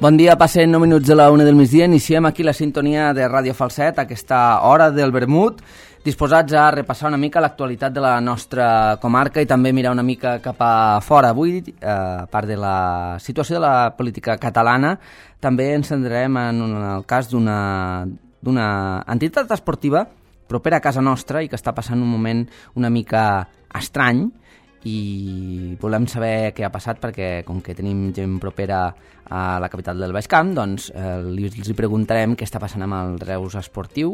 Bon dia, passen 9 minuts de la 1 del migdia. Iniciem aquí la sintonia de Ràdio Falset, aquesta hora del vermut, disposats a repassar una mica l'actualitat de la nostra comarca i també mirar una mica cap a fora. Avui, a part de la situació de la política catalana, també ens centrarem en el cas d'una entitat esportiva propera a casa nostra i que està passant un moment una mica estrany, i volem saber què ha passat perquè com que tenim gent propera a la capital del Baix Camp, doncs els preguntarem què està passant amb el Reus Esportiu,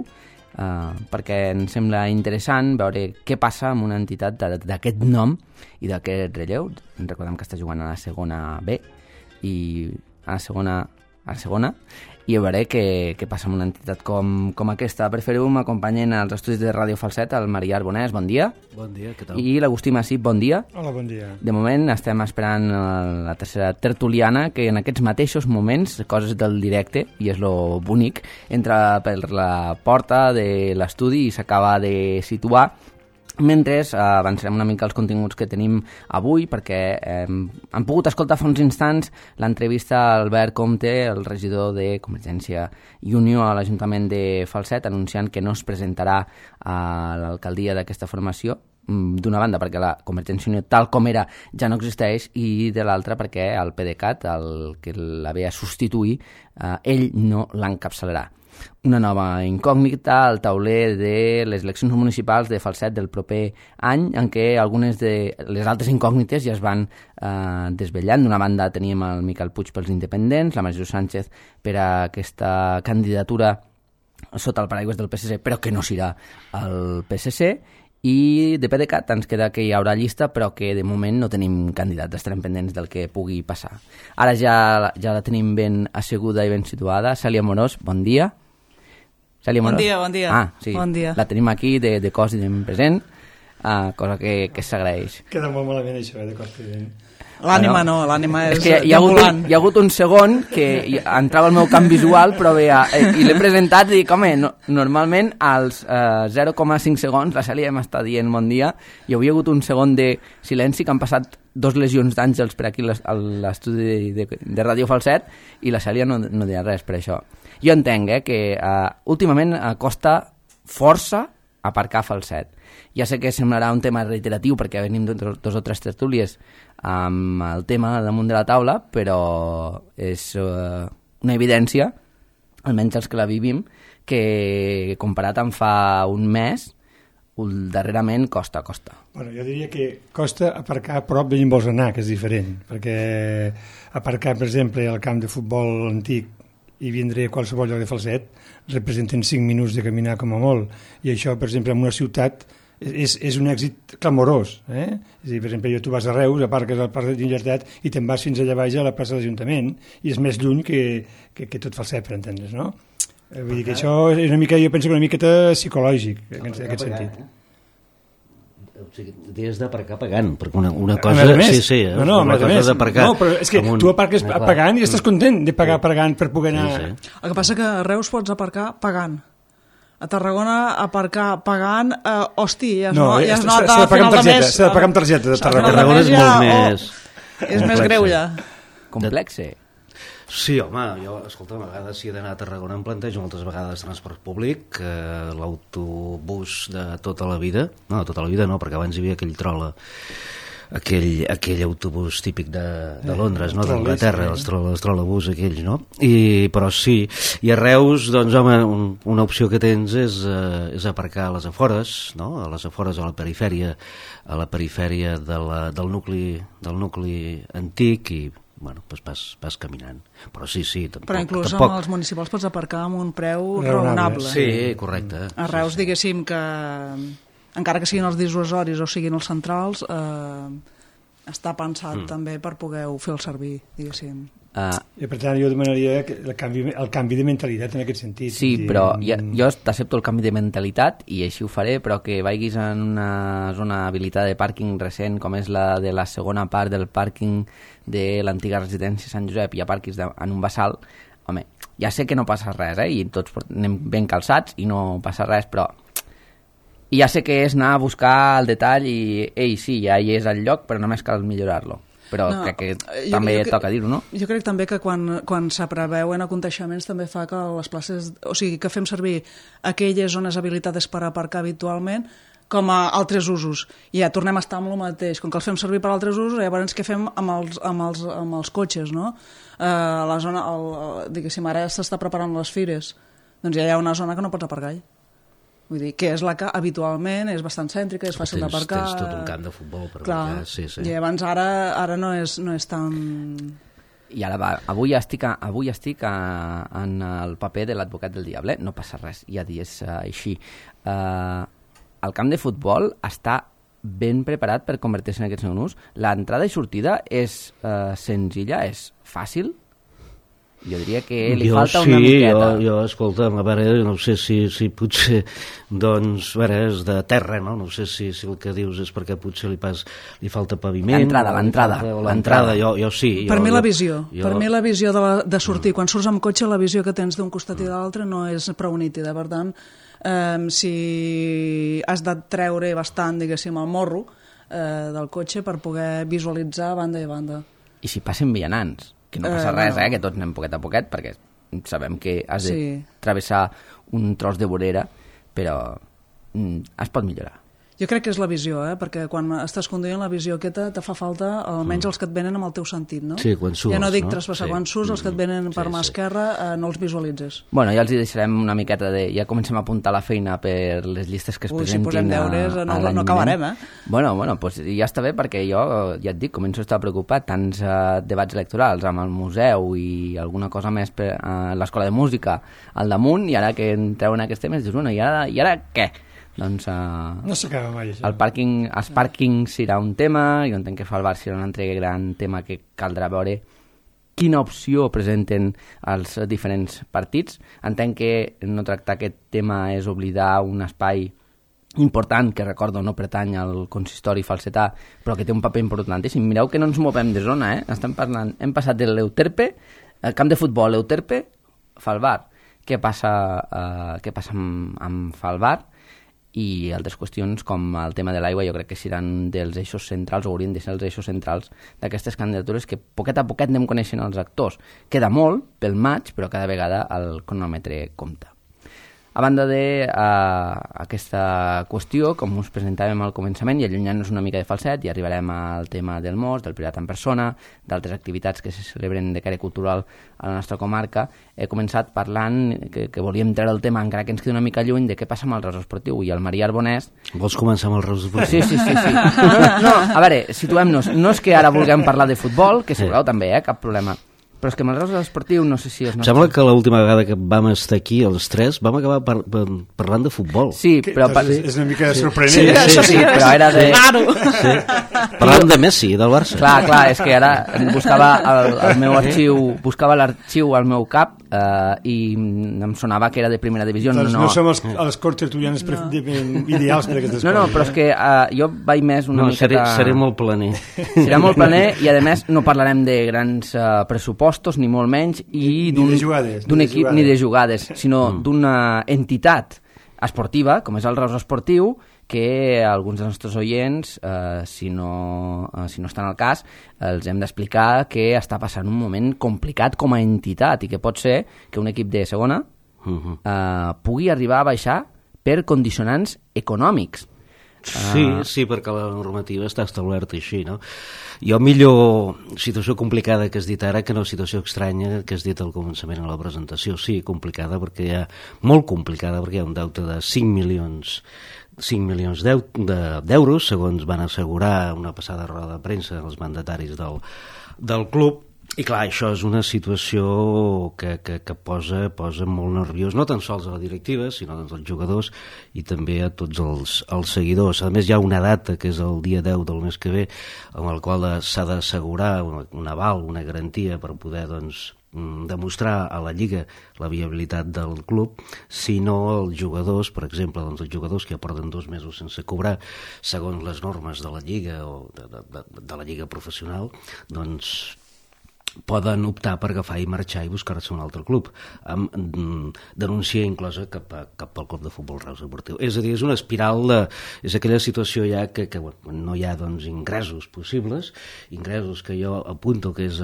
perquè ens sembla interessant veure què passa amb una entitat d'aquest nom i d'aquest relleu. Recordem que està jugant a la segona B i a la segona i a veure què passa amb una entitat com aquesta. Per fer-ho m'acompanyen als estudis de Ràdio Falset el Marià Arbonès, bon dia. Bon dia, què tal? I l'Agustí Massip, bon dia. Hola, bon dia. De moment estem esperant la tercera tertuliana, que en aquests mateixos moments, coses del directe, i és lo bonic, entra per la porta de l'estudi i s'acaba de situar, mentre avançarem una mica els continguts que tenim avui, perquè hem pogut escoltar fa uns instants l'entrevista a Albert Comte, el regidor de Convergència i Unió a l'Ajuntament de Falset, anunciant que no es presentarà a l'alcaldia d'aquesta formació, d'una banda perquè la Convergència i Unió tal com era ja no existeix, i de l'altra perquè el PDeCAT, el que la ve a substituir, ell no l'encapçalarà. Una nova incògnita al tauler de les eleccions municipals de Falset del proper any, en què algunes de les altres incògnites ja es van desvetllant. D'una banda teníem el Miquel Puig pels independents, la Maria Sánchez per a aquesta candidatura sota el paraigües del PSC, però que no serà el PSC, i de PDeCAT ens queda que hi haurà llista, però que de moment no tenim candidats, estarem pendents del que pugui passar. Ara ja la tenim ben asseguda i ben situada. Cèlia Morós, bon dia. Cèlia Morós. Bon dia. Ah, sí. Bon dia. La tenim aquí de cos i de present, cosa que s'agraeix. Queda molt malament això, de cos present. L'ànima no, l'ànima és que hi ha hagut un segon que entrava al meu camp visual, però bé, i l'he presentat i dic, home, normalment als 0,5 segons la Cèlia m'està dient bon dia, i hi havia hagut un segon de silenci, que han passat 2 lesions d'àngels per aquí a l'estudi de Ràdio Falset, i la Cèlia no deia res per això. Jo entenc que últimament costa força aparcar Falset. Ja sé que semblarà un tema reiteratiu perquè venim dos o tres tertúlies amb el tema damunt de la taula, però és una evidència, almenys els que la vivim, que comparat amb fa un mes, darrerament costa. Bueno, jo diria que costa aparcar a prop d'on vols anar, que és diferent, perquè aparcar, per exemple, al camp de futbol antic i vindre a qualsevol lloc de Falset representen 5 minuts de caminar com a molt, i això, per exemple, en una ciutat és un èxit clamorós, És a dir, per exemple, tu vas a Reus, aparques al Parc de Llibertat i te'n vas fins allà baix a la plaça de l'Ajuntament, i és més lluny que tot Falset, per entendre's, no? Vull dir que això és una mica, jo penso que una miqueta psicològic, en aquest sentit. O sigui, tens d'aparcar pagant, perquè una cosa... Sí, una cosa d'aparcar... No, però és que tu aparques pagant i estàs content de pagar pagant per poder anar... Sí. El que passa que a Reus pots aparcar pagant. A Tarragona aparcar pagant, ja es nota a final de mes... S'ha de pagar amb targeta de Tarragona. Tarragona és molt més... És més greu ja. Complexe. Sí, home, jo, escolta, a vegades si he d'anar a Tarragona em plantejo moltes vegades transport públic, l'autobús de tota la vida, no, de tota la vida no, perquè abans hi havia aquell trola, aquell autobús típic de Londres, no? D'Anglaterra, els trolebús aquells, no? Però sí, i a Reus, doncs, home, una opció que tens és aparcar a les afores, no? A les afores, a la perifèria del nucli antic, i bueno, doncs vas caminant. Però sí, tampoc... Però inclús amb els municipals pots aparcar amb un preu raonable. Sí, correcte. A Reus, diguéssim que, encara que siguin els dissuasoris o siguin els centrals, està pensat també per poder-ho fer el servir, diguéssim. I per tant jo demanaria el canvi de mentalitat en aquest sentit. Sí, però jo t'accepto el canvi de mentalitat i així ho faré, però que vagis en una zona habilitada de pàrquing recent com és la de la segona part del pàrquing de l'antiga residència Sant Josep i aparquis en un bassal, home, ja sé que no passa res, i tots anem ben calçats i no passa res, però ja sé que és anar a buscar el detall i sí, ja hi és el lloc, però només cal millorar-lo. però crec que també toca dir-ho, no? Jo crec també que quan s'apreveuen aconteixements també fa que les places, o sigui, que fem servir aquelles zones habilitades per aparcar habitualment com a altres usos. I ja tornem a estar amb el mateix. Com que els fem servir per altres usos, llavors què fem amb els cotxes, no? La zona, diguéssim, ara s'està preparant les fires, doncs ja hi ha una zona que no pots aparcar. Vull dir, que és la que habitualment és bastant cèntrica, és fàcil d'aparcar. Tens tot un camp de futbol per aparcar. Sí. I abans ara no és tan... I ara avui estic en el paper de l'advocat del diable, no passa res, ja és així. El camp de futbol està ben preparat per convertir-se en aquest segon ús. L'entrada i sortida és senzilla, és fàcil. Jo diria que li falta una miqueta. Jo, escolta'm, a veure, no sé si potser, doncs, a veure, és de terra, no? No sé si el que dius és perquè potser li falta paviment. L'entrada, jo sí. Per mi la visió de sortir, quan surts amb cotxe, la visió que tens d'un costat i de l'altre no és prou nítida, per tant, si has de treure bastant, diguéssim, el morro del cotxe per poder visualitzar banda i banda. I si passen vianants, que no passa res, que tots anem poquet a poquet, perquè sabem que has de travessar un tros de vorera, però es pot millorar. Jo crec que és la visió, perquè quan estàs conduint la visió aquesta te fa falta almenys els que et venen amb el teu sentit, no? Sí, quan surts, ja no dic traspassar, quan surts els que et venen per mà esquerra no els visualitzes. Bueno, ja els hi deixarem una miqueta ja comencem a apuntar la feina per les llistes que es presentin. Si posem deures no acabarem, Bueno, pues ja està bé, perquè jo, ja et dic, començo a estar preocupat, tants debats electorals amb el museu i alguna cosa més per l'escola de música al damunt, i ara que entreu en aquests temes, dius, bueno, i ara què? Doncs no s'acaba mai això. Els pàrquings serà un tema, jo entenc que fa el bar serà un altre gran tema que caldrà veure quina opció presenten els diferents partits. Entenc que no tractar aquest tema és oblidar un espai important que, recordo, no pertany al consistori falsetà, però que té un paper importantíssim. Mireu que no ens movem de zona, hem passat de l'Euterpe, el camp de futbol Euterpe, Falvar. Què passa amb Falvar? I altres qüestions com el tema de l'aigua jo crec que seran dels eixos centrals o haurien de ser els eixos centrals d'aquestes candidatures, que poquet a poquet anem coneixent els actors. Queda molt pel maig, però cada vegada el cronòmetre compta. A banda d'aquesta qüestió, com us presentàvem al començament, i allunyant-nos una mica de falset, i arribarem al tema del mos, del Pirat en persona, d'altres activitats que se celebren de caire cultural a la nostra comarca. He començat parlant que volíem treure el tema, encara que ens queda una mica lluny, de què passa amb el Reus Esportiu. I el Maria Arbonès... Vols començar amb el Reus Esportiu? Sí. No, a veure, situem-nos. No és que ara vulguem parlar de futbol, que si voleu també, cap problema. Però és que amb el Reus Esportiu no sé si... Em sembla que l'última vegada que vam estar aquí, els tres, vam acabar parlant de futbol. Sí, però... És una mica sorprenent. Sí, però era de... Parlant de Messi, del Barça. Clar, és que ara buscava el meu arxiu, buscava l'arxiu al meu cap i em sonava que era de primera divisió. Doncs no som els corts tertulians ideals per aquestes coses. No, però és que jo vaig més una miqueta... Seré molt planer. Serà molt planer i, a més, no parlarem de grans pressupostos, ni molt menys, i d'un equip ni de jugades, sinó d'una entitat esportiva, com és el Reus Esportiu, que alguns dels nostres oients, si no estan al cas, els hem d'explicar que està passant un moment complicat com a entitat i que pot ser que un equip de segona pugui arribar a baixar per condicionants econòmics. Sí, perquè la normativa està establerta així, no? Jo millor situació complicada que has dit ara que no situació estranya que has dit al començament a la presentació. Sí, complicada, molt complicada, perquè hi ha un deute de 5 milions d'euros, segons van assegurar una passada roda de premsa els mandataris del club. I clar, això és una situació que posa molt nerviós, no tan sols a la directiva, sinó als jugadors i també a tots els seguidors. A més, hi ha una data, que és el dia 10 del mes que ve, amb el qual s'ha d'assegurar un aval, una garantia per poder, demostrar a la Lliga la viabilitat del club, si no els jugadors, per exemple, els jugadors que porten 2 mesos sense cobrar, segons les normes de la Lliga o de la Lliga professional, poden optar per agafar i marxar i buscar-se un altre club, amb denúncia inclosa cap al club de futbol Reus Deportiu. És a dir, és una espiral és aquella situació ja que no hi ha doncs, ingressos possibles, ingressos que jo apunto que és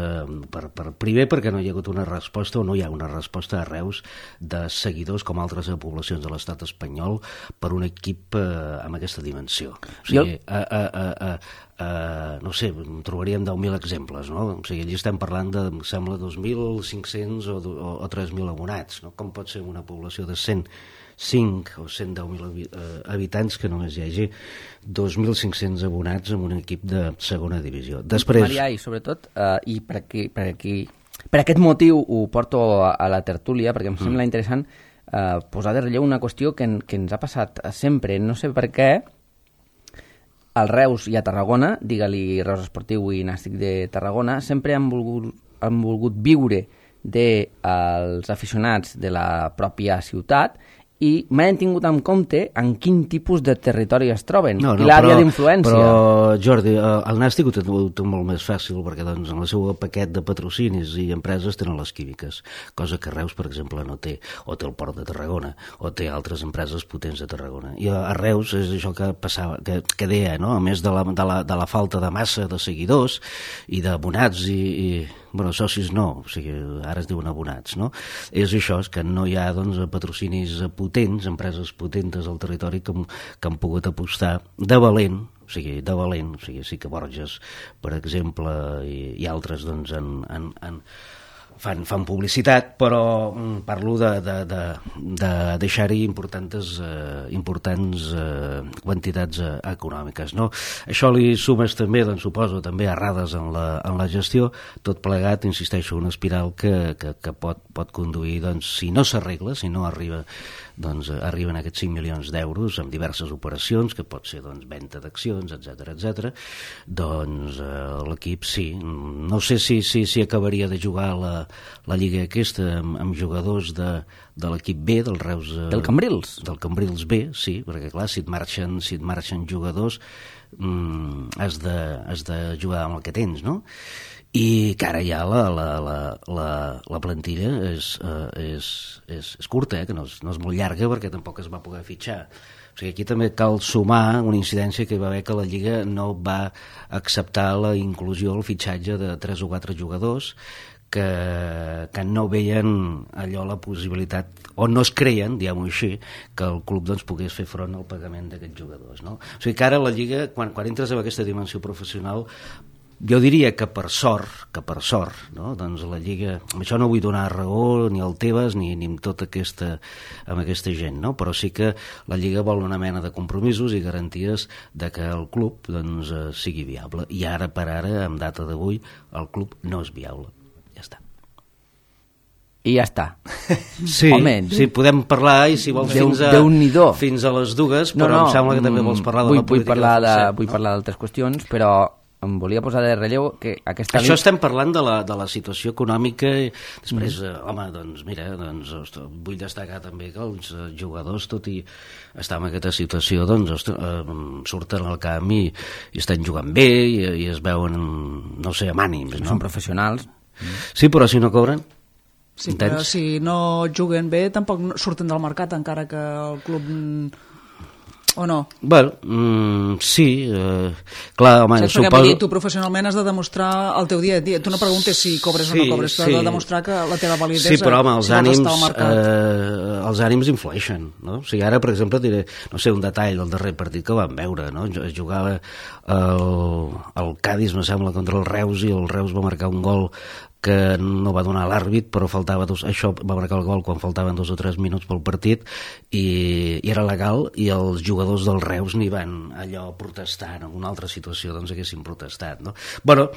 primer perquè no hi ha hagut una resposta o no hi ha una resposta a Reus de seguidors com altres poblacions de l'estat espanyol per un equip amb aquesta dimensió. O sigui, no sé, trobaríem 10.000 exemples, no? O sigui, allí estem parlant de, em sembla, 2.500 o 3.000 abonats, no? Com pot ser una població de 105 o 110.000 habitants que només hi hagi 2.500 abonats en un equip de segona divisió? Després... Marià, i sobretot, i per aquest motiu ho porto a la tertúlia, perquè em sembla interessant posar de relleu una qüestió que ens ha passat sempre, no sé per què, al Reus i a Tarragona, digue-li Reus Esportiu i Nàstic de Tarragona, sempre han volgut viure dels aficionats de la pròpia ciutat i mai han tingut en compte en quin tipus de territori es troben i l'àrea d'influència. Però, Jordi, el Nàstic ho té molt més fàcil perquè doncs, en el seu paquet de patrocinis i empreses tenen les químiques, cosa que Reus, per exemple, no té, o té el Port de Tarragona, o té altres empreses potents de Tarragona. I a Reus és això que passava, que deia, no? A més de la falta de massa de seguidors i d'abonats i bueno, socis no, o sigui, ara es diuen abonats, no? És això, és que no hi ha doncs, patrocinis potents, empreses potentes al territori que han pogut apostar de valent, o sigui, sí que Borges, per exemple, i altres doncs, fan publicitat, però parlo de deixar-hi importants quantitats econòmiques, no? Això li sumes també, doncs, suposo, també errades en la gestió, tot plegat, insisteixo, una espiral que pot conduir, doncs, si no s'arregla, si no arriba, doncs arriben aquests 5 milions d'euros amb diverses operacions, que pot ser doncs, venda d'accions, etc. Doncs l'equip sí. No sé si acabaria de jugar la lliga aquesta amb jugadors de l'equip B, del Reus... Del Cambrils? Del Cambrils B, sí, perquè clar, si et marxen jugadors has de jugar amb el que tens, no? I que ara ja la plantilla és curta, que no és molt llarga perquè tampoc es va poder fitxar. O sigui, aquí també cal sumar una incidència que hi va haver que la Lliga no va acceptar la inclusió, el fitxatge de 3 o 4 jugadors que no veien allò la possibilitat, o no es creien, diguem-ho així, que el club doncs, pogués fer front al pagament d'aquests jugadors, no? O sigui que ara la Lliga, quan entres en aquesta dimensió professional, jo diria que per sort, no? Doncs la Lliga, amb això no vull donar raó ni al Tebas ni amb tota aquesta gent, no? Però sí que la Lliga vol una mena de compromisos i garanties de que el club doncs, sigui viable. I ara per ara, amb data d'avui, el club no és viable. Ja està. I ja està. Sí, home, sí, podem parlar i si vols fins a les dues, però em sembla que també vols parlar de la política del Falset. Vull parlar d'altres qüestions, però em volia posar de relleu que aquesta... Això estem parlant de la situació econòmica i després, home, doncs mira, vull destacar també que els jugadors, tot i estar en aquesta situació, doncs surten al camp i estan jugant bé i es veuen, no sé, amb ànims, no? Són professionals. Sí, però si no cobren... Sí, però si no juguen bé tampoc surten del mercat encara que el club... o no? Bueno, sí, clar, home, saps, perquè vull dir, tu professionalment has de demostrar el teu dia a dia, tu no preguntes si cobres o no cobres, tu has de demostrar que la teva validesa... Sí, però home, els ànims influeixen, no? O sigui, ara, per exemple, diré, no sé, un detall del darrer partit que vam veure, no? Es jugava el Cádiz, me sembla, contra el Reus, i el Reus va marcar un gol que no va donar l'àrbit, però això va marcar el gol quan faltaven 2 o 3 minuts pel partit i era legal, i els jugadors del Reus n'hi van allò protestar. En una altra situació doncs haguessin protestat, no? Bueno,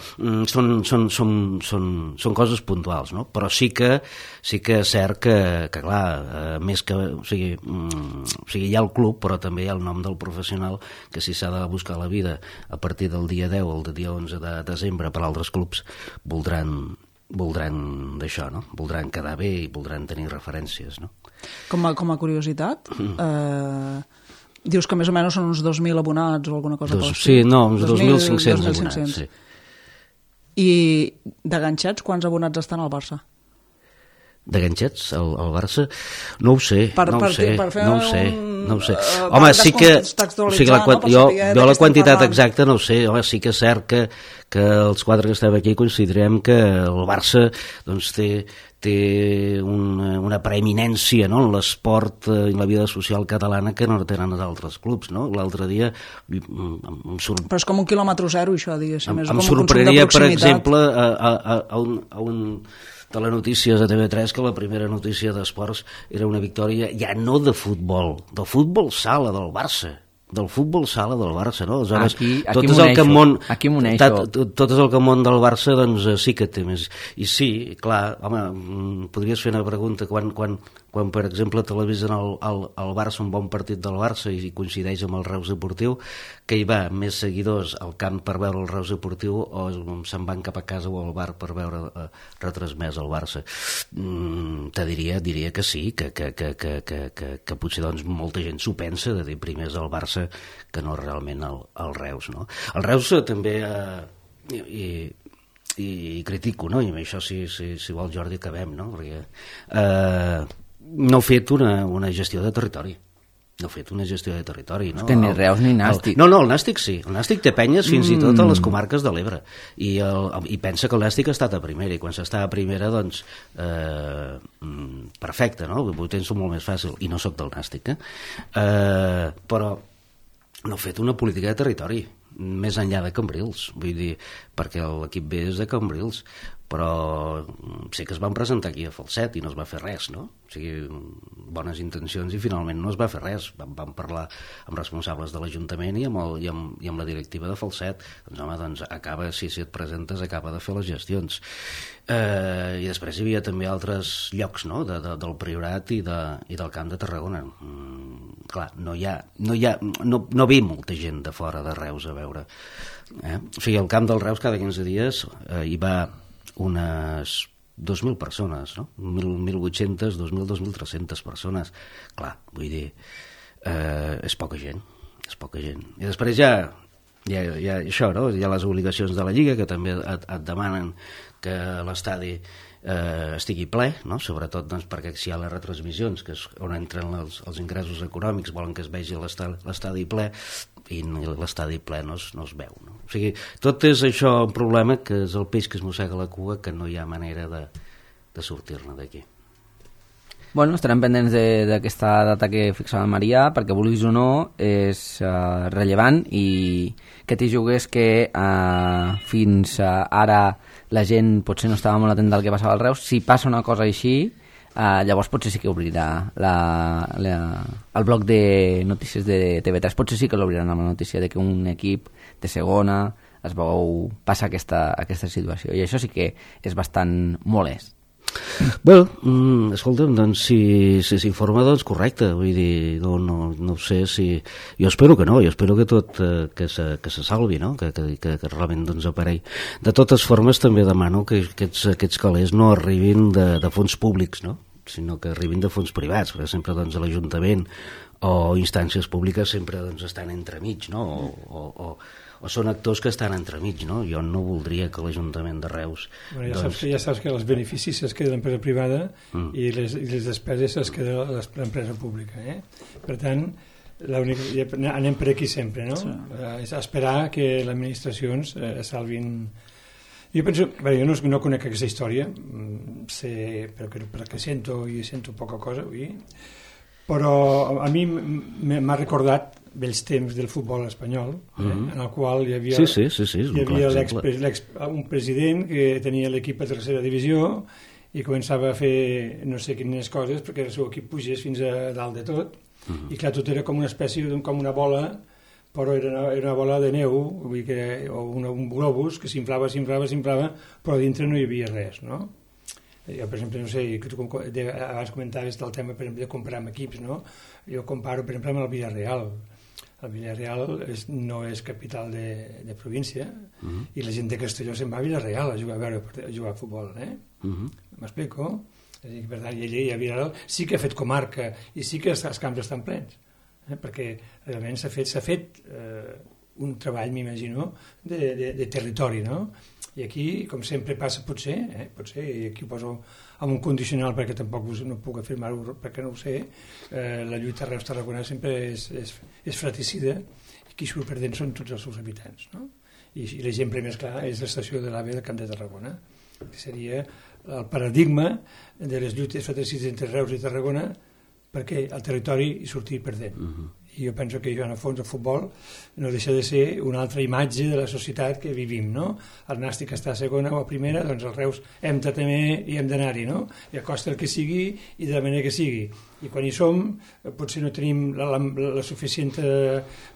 són coses puntuals, no? Però sí que és cert que clar, més que... O sigui, hi ha el club, però també hi ha el nom del professional, que si s'ha de buscar la vida a partir del dia 10 o el dia 11 de desembre per altres clubs, voldran d'això, no? Voldran quedar bé i voldran tenir referències, no? Com a curiositat, dius que més o menys són uns 2.000 abonats o alguna cosa? Sí, no, uns 2.500 abonats, sí. I de ganxats, quants abonats estan al Barça? De ganxets, al Barça? No ho sé, no ho sé. Home, sí que... O sigui, jo la quantitat exacta no ho sé. Home, sí que és cert que els quatre que estem aquí considerem que el Barça doncs, té una preeminència, no?, en l'esport i la vida social catalana que no tenen els altres clubs, no? L'altre dia Però és com un quilòmetre zero, això, diguéssim. Em sorprenia, per exemple, a un telenotícies a TV3 que la primera notícia d'esports era una victòria ja no de futbol, del futbol sala del Barça, no? Aleshores, tot és el que món del Barça doncs sí que té més. I sí, clar, home, podries fer una pregunta quan per exemple televisen el Barça, un bon partit del Barça, i coincideix amb el Reus Deportiu, que hi va més seguidors al camp per veure el Reus Deportiu o se'n van cap a casa o al bar per veure retransmès el Barça. Te diria que sí, que potser doncs molta gent s'ho pensa, de dir primer és el Barça que no realment el Reus, no? El Reus també i critico, no? I amb això si vol Jordi acabem, no? Perquè no ha fet una gestió de territori. No ha fet una gestió de territori, no? És que ni Reus ni Nàstic. No, el Nàstic sí. El Nàstic té penyes fins i tot a les comarques de l'Ebre. I pensa que el Nàstic ha estat a primera, i quan s'està a primera, doncs, perfecte, no? Ho penso molt més fàcil. I no sóc del Nàstic, però no ha fet una política de territori més enllà de Cambrils, vull dir, perquè l'equip B és de Cambrils, però sé que es van presentar aquí a Falset i no es va fer res, no? O sigui, bones intencions i finalment no es va fer res. Vam parlar amb responsables de l'Ajuntament i amb la directiva de Falset. Doncs home, acaba, si et presentes, acaba de fer les gestions. I després hi havia també altres llocs, no?, del Priorat i del Camp de Tarragona. Clar, no ve molta gent de fora de Reus a veure. O sigui, al Camp del Reus cada 15 dies hi va unes 2.000 persones, no? 1.800, 2.000, 2.300 persones. Clar, vull dir, és poca gent. I després hi ha això, no? Hi ha les obligacions de la Lliga, que també et demanen que l'estadi estigui ple, no? Sobretot doncs, perquè si hi ha les retransmissions, que és on entren els ingressos econòmics, volen que es vegi l'estadi ple, i l'estadi ple no es veu, no? O sigui, tot és això un problema que és el peix que es mossega la cua, que no hi ha manera de sortir-ne d'aquí. Bueno, estarem pendents d'aquesta data que fixava Maria, perquè vulguis o no és rellevant, i que t'hi jugués que fins ara la gent potser no estava molt atent del que passava al Reus. Si passa una cosa així, llavors potser sí que obrirà el bloc de notícies de TV3, potser sí que l'obriran amb la notícia de que un equip de segona es veu passar aquesta situació, i això sí que és bastant molest. Bé, escolta'm, doncs si s'informa, doncs correcte, vull dir, no ho sé si... Jo espero que no, jo espero que tot que se salvi, no?, que realment doncs aparegui. De totes formes també demano que aquests calés no arribin de fons públics, no?, sinó que arribin de fons privats, perquè sempre doncs l'Ajuntament o instàncies públiques sempre doncs estan entremig, no?, o són actors que estan entremig, no? Jo no voldria que l'Ajuntament de Reus... Bueno, ja saps que els beneficis es queda l'empresa privada i les despeses es queda l'empresa pública, Per tant, anem per aquí sempre, no? Sí. És esperar que les administracions salvin... Jo penso... Bé, jo no conec aquesta història, perquè sento poca cosa avui, però a mi m'ha recordat vells temps del futbol espanyol, en el qual hi havia, un president que tenia l'equip a tercera divisió i començava a fer no sé quines coses perquè el seu equip pugés fins a dalt de tot, i clar, tot era com una espècie, com una bola, però era una bola de neu, vull dir o un globus que s'inflava, però dintre no hi havia res, no? Jo, per exemple, no sé, que tu abans comentaves del tema, per exemple, de comprar amb equips, no? Jo comparo, per exemple, amb el Villarreal. El Villarreal no és capital de província, i la gent de Castelló se'n va a Villarreal a jugar a futbol, m'explico? És a dir, per tant, i a Villarreal sí que ha fet comarca i sí que els camps estan plens, perquè realment s'ha fet un treball, m'imagino, de territori, no? I aquí, com sempre passa, potser, i aquí ho poso amb un condicional perquè tampoc no puc afirmar-ho perquè no ho sé, la lluita a Reus-Tarragona sempre és fratricida i qui surt perdent són tots els seus habitants, no? I l'exemple més clar és l'estació de l'AVE del Camp de Tarragona, que seria el paradigma de les lluites fratricides entre Reus i Tarragona perquè el territori hi surti perdent. I jo penso que en el fons el futbol no deixa de ser una altra imatge de la societat que vivim, no? El Nàstic està a segona o a primera, doncs el Reus hem de també i hem d'anar-hi, no? I a costa el que sigui i de la manera que sigui. I quan hi som potser no tenim la suficient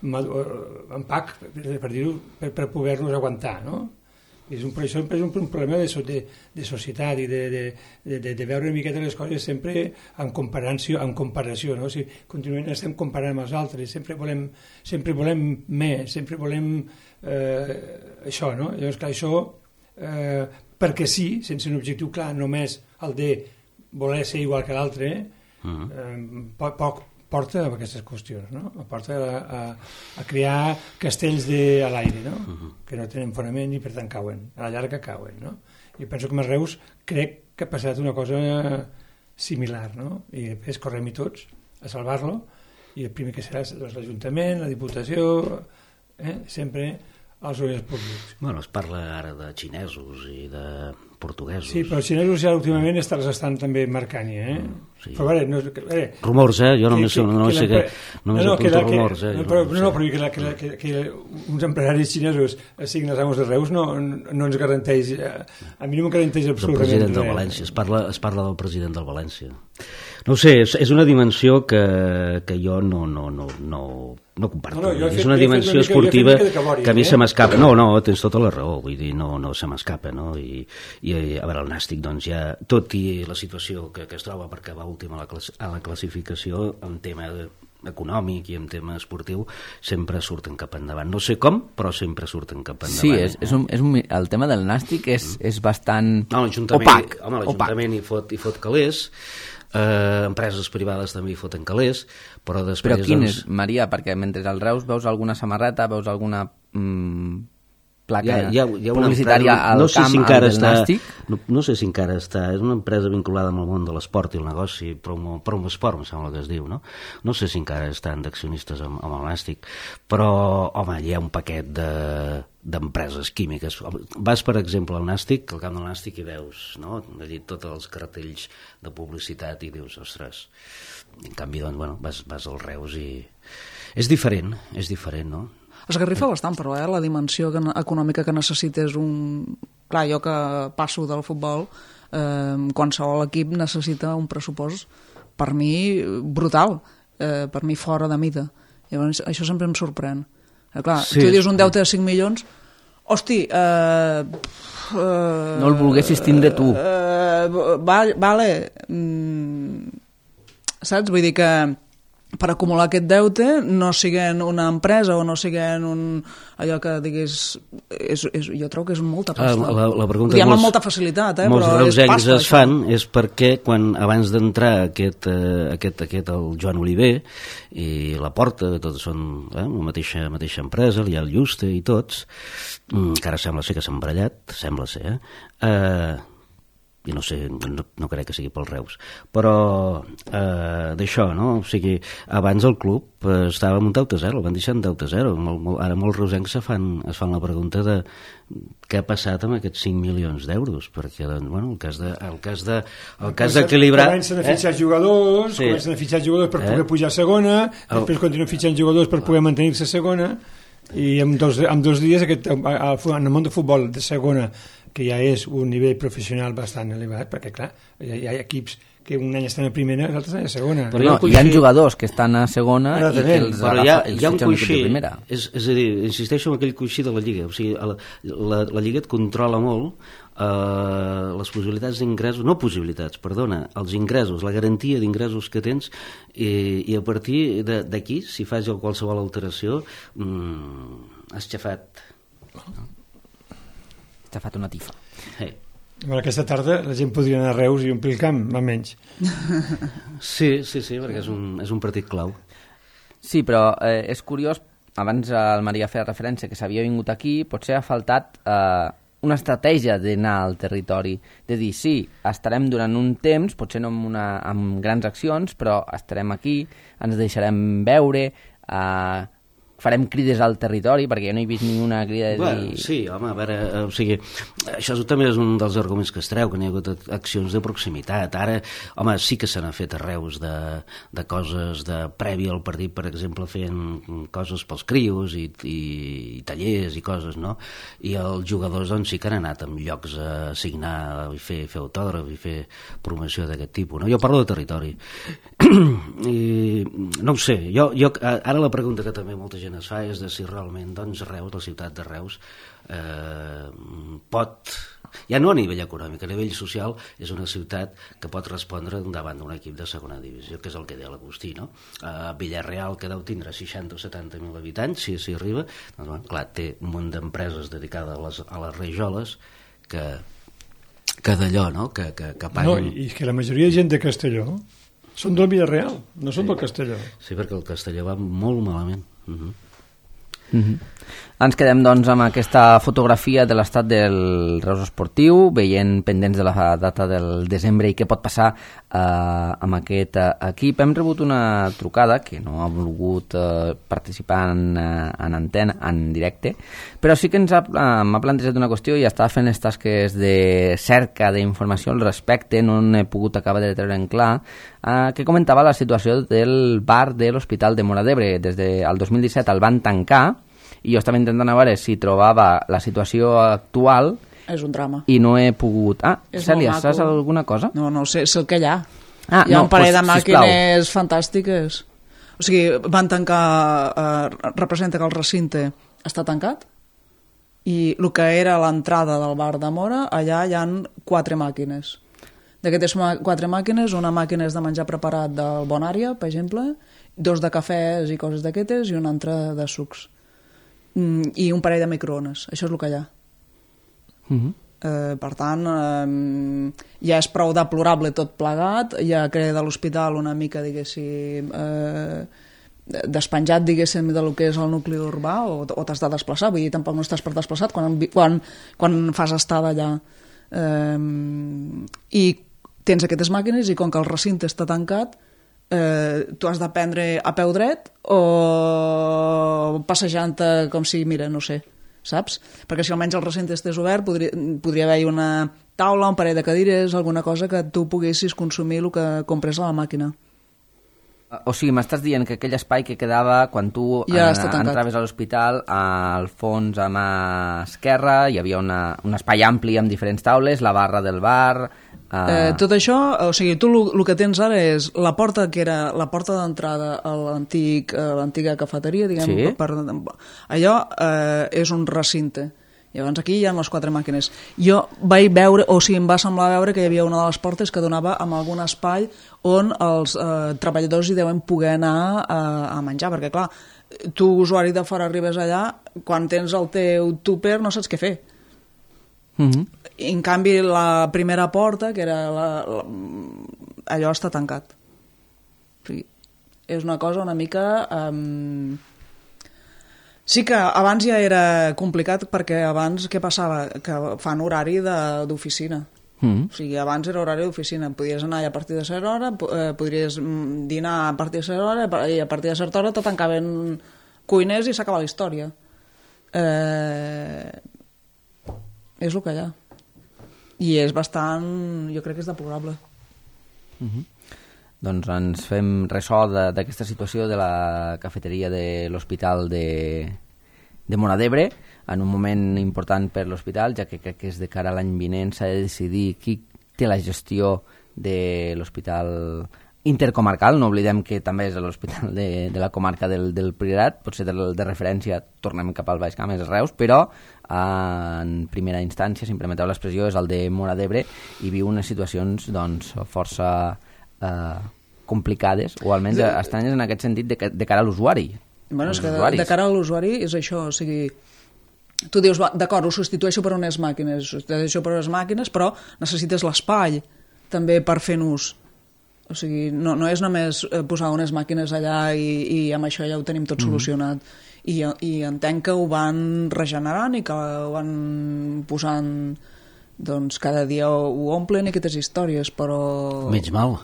empac, per dir-ho, per poder-nos aguantar, no? És un problema de societat i de veure una miqueta les coses sempre en comparació, no? O sigui, continuament estem comparant amb els altres, sempre volem més, sempre volem això, no? Llavors, clar, això, perquè sí, sense un objectiu clar, només el de voler ser igual que l'altre, poc porta a aquestes qüestions, no? Porta a crear castells a l'aire, no? Que no tenen fonament i per tant cauen, a la llarga cauen, no? I penso que a Reus crec que ha passat una cosa similar, no? I després correm-hi tots a salvar-lo i el primer que serà l'Ajuntament, la Diputació, sempre els ordres públics. Bueno, es parla ara de xinesos i de portuguesos. Sí, però els xinesos ja últimament els estan també marcant, Sí. Però rumors, jo només sé que rumors. Però que uns empresaris xinesos siguin els amos de Reus no ens garanteix, a mi no em garanteix absolutament res. El president del València, es parla del president del València. No ho sé, és una dimensió que jo no comparto. És una dimensió esportiva que a mi se m'escapa. No, tens tota la raó, vull dir, no se m'escapa, no? I a veure, el Nàstic, doncs ja, tot i la situació que es troba perquè va últim a la classificació, en tema econòmic i en tema esportiu, sempre surten cap endavant. No sé com, però sempre surten cap endavant. Sí, el tema del Nàstic és bastant opac. Home, l'Ajuntament hi fot calés, empreses privades també hi foten calés, però després... Però quin és, Maria? Perquè mentre al Reus veus alguna samarreta, veus alguna placa publicitària al camp del Nàstic? No sé si encara està, és una empresa vinculada amb el món de l'esport i el negoci, Promosport, em sembla que es diu, no? No sé si encara estan d'accionistes amb el Nàstic, però, home, hi ha un paquet d'empreses químiques. Vas, per exemple, al Nàstic, al camp del Nàstic, i veus, no?, allí tots els cartells de publicitat i dius, ostres, en canvi, doncs, bueno, vas al Reus i... És diferent, no? Esgarrifa bastant, però la dimensió econòmica que necessites Clar, jo que passo del futbol, qualsevol equip necessita un pressupost, per mi, brutal, per mi fora de mida. Llavors, això sempre em sorprèn. Clar, sí, tu dius un deute de 5 milions, hosti... no el volguessis tindre tu. Vale. Saps? Vull dir que per acumular aquest deute no siguent una empresa o no siguent allò que diguis jo trobo que és molta pasta. La pregunta diem amb molta facilitat, molts però reusencs es fan és perquè quan abans d'entrar aquest el Joan Oliver i la Porta, tots són la mateixa empresa, hi ha el Juste i tots, que ara sembla ser que s'han barallat, sembla ser, i no sé, no crec que sigui pel Reus, però d'això, no? O sigui, abans el club estava amb un deute zero, el van deixar en deute zero. Ara molts reusencs es fan la pregunta de què ha passat amb aquests 5 milions d'euros, perquè, bueno, el cas d'equilibrar... Comencen a fitxar jugadors, per poder pujar a segona, després continuen fitxant jugadors per poder mantenir-se a segona, i en dos dies en el món de futbol de segona, que ja és un nivell professional bastant elevat, perquè clar, hi ha equips que un any estan a primera i l'altre estan a segona. Però hi ha jugadors que estan a segona i que els hi ha un coixí, és a dir, insisteixo en aquell coixí de la Lliga, o sigui, la Lliga et controla molt les possibilitats d'ingressos, els ingressos, la garantia d'ingressos que tens, i a partir d'aquí, si fas qualsevol alteració, has xafat. T'ha fet una tifa. Hey. Bueno, aquesta tarda la gent podria anar a Reus i omplir el camp, almenys. Sí, perquè és un partit clau. Sí, però és curiós abans el Maria feia referència que s'havia vingut aquí, potser ha faltat una estratègia d'anar al territori, de dir, sí, estarem durant un temps, potser no amb grans accions, però estarem aquí, ens deixarem veure, farem crides al territori, perquè jo no he vist ni una crida de dir... Bueno, sí, home, a veure, o sigui, això també és un dels arguments que es treu, que n'hi ha hagut accions de proximitat. Ara, home, sí que se n'han fet arreus de coses de prèvia al partit, per exemple, fent coses pels crios i tallers i coses, no? I els jugadors, doncs, sí que han anat en llocs a signar i fer autògraf i fer promoció d'aquest tipus, no? Jo parlo de territori. I no ho sé, ara la pregunta que també molta gent es fa és de si realment, doncs, Reus, la ciutat de Reus, pot, ja no a nivell econòmic, a nivell social, és una ciutat que pot respondre davant d'un equip de segona divisió, que és el que deia l'Agustí, no? Villarreal, que deu tindre 60 o 70.000 habitants, si arriba, doncs, bueno, clar, té un munt d'empreses dedicades a les rajoles que d'allò, no?, que paguen... No, i que la majoria de gent de Castelló són del Villarreal, no són del Castelló. Sí, perquè el Castelló va molt malament. Ens quedem doncs amb aquesta fotografia de l'estat del Reus Esportiu, veient pendents de la data del desembre i què pot passar amb aquest equip. Hem rebut una trucada que no ha volgut participar en antena, en directe, però sí que m'ha plantejat una qüestió i estava fent les tasques de cerca d'informació al respecte, no n'he pogut acabar de treure en clar, que comentava la situació del bar de l'Hospital de Móra d'Ebre. Des del 2017 el van tancar i jo estava intentant veure si trobava la situació actual. És un drama. I no he pogut... Cèlia, saps alguna cosa? No sé el que hi ha. Hi ha un parell de màquines fantàstiques. O sigui, van tancar... representa que el recinte està tancat i el que era l'entrada del bar de Móra, allà hi ha 4 màquines. D'aquestes 4 màquines, una màquina és de menjar preparat del Bonària, per exemple, 2 de cafès i coses d'aquestes i una altra de sucs. I un parell de microones. Això és el que hi ha. Per tant, ja és prou deplorable tot plegat, ja crea de l'hospital una mica, diguéssim, despenjat, diguéssim, del que és el nucli urbà, o t'has de desplaçar, vull dir, tampoc no estàs per desplaçat quan fas estada allà. I tens aquestes màquines i com que el recinte està tancat, tu has de prendre a peu dret o passejant com si, mira, no sé, saps? Perquè si almenys el recinte estés obert podria haver-hi una taula, un parell de cadires, alguna cosa que tu poguessis consumir el que compres a la màquina. O sigui, m'estàs dient que aquell espai que quedava quan tu entraves a l'hospital, al fons a mà esquerra hi havia un espai ampli amb diferents taules, la barra del bar... Tot això, o sigui, tu el que tens ara és la porta que era la porta d'entrada a l'antiga cafeteria, diguem, sí? Allò és un recinte. Llavors aquí hi ha les 4 màquines. Jo vaig veure, o sigui, em va semblar veure que hi havia una de les portes que donava amb algun espai on els treballadors hi deuen poder anar a menjar, perquè clar, tu usuari de fora arribes allà, quan tens el teu tupper no saps què fer. En canvi la primera porta, que era allò està tancat. O sigui, és una cosa una mica... Sí que abans ja era complicat perquè abans què passava? Que fan horari d'oficina. O sigui, abans era horari d'oficina. Podies anar a partir de certa hora, podries dinar a partir de certa hora i a partir de certa hora te tancaven cuiners i s'acaba la història. És el que hi ha. I és bastant... jo crec que és deplorable. Doncs ens fem ressò d'aquesta situació de la cafeteria de l'Hospital de Móra d'Ebre, en un moment important per l'hospital, ja que crec que és de cara a l'any vinent, s'ha de decidir qui té la gestió de l'hospital intercomarcal. No oblidem que també és l'hospital de la comarca del Priorat, potser de referència tornem cap al Baix Camp, és Reus, però en primera instància, si em permeteu l'expressió, és el de Móra d'Ebre i viu unes situacions doncs, força complicades, o almenys estranyes en aquest sentit de cara a l'usuari. Bueno, és que de cara a l'usuari és això, o sigui, tu dius, d'acord, ho substitueixo per unes màquines, però necessites l'espai també per fer ús. O sigui, no és només posar unes màquines allà i amb això ja ho tenim tot solucionat. I entenc que ho van regenerant i que ho van posant, doncs cada dia ho omplen i aquestes històries, però... Menys mal.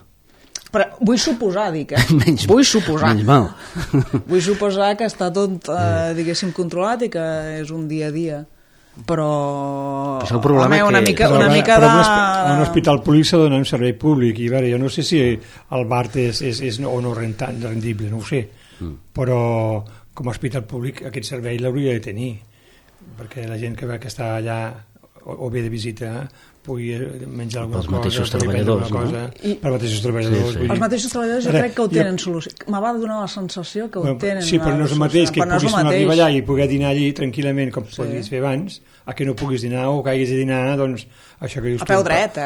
Però vull suposar, dic, Menys mal. Vull suposar que està tot, diguéssim, controlat i que és un dia a dia. Però el problema una mica de... un hospital públic s'ha de donar un servei públic i veure, jo no sé si el BART és o no rendible, no ho sé, però com a hospital públic aquest servei l'hauria de tenir, perquè la gent que està allà o ve de visita pugui menjar alguna cosa, mateixos treballadors, no? Per mateixos treballadors. Els mateixos treballadors jo crec que ho tenen solució. Me va donar la sensació que ho tenen. Sí, però no és el mateix que puguis arribar allà i poder dinar allí tranquil·lament com podies fer abans, a que no puguis dinar o que hagis de dinar, doncs, això que dius a peu dret,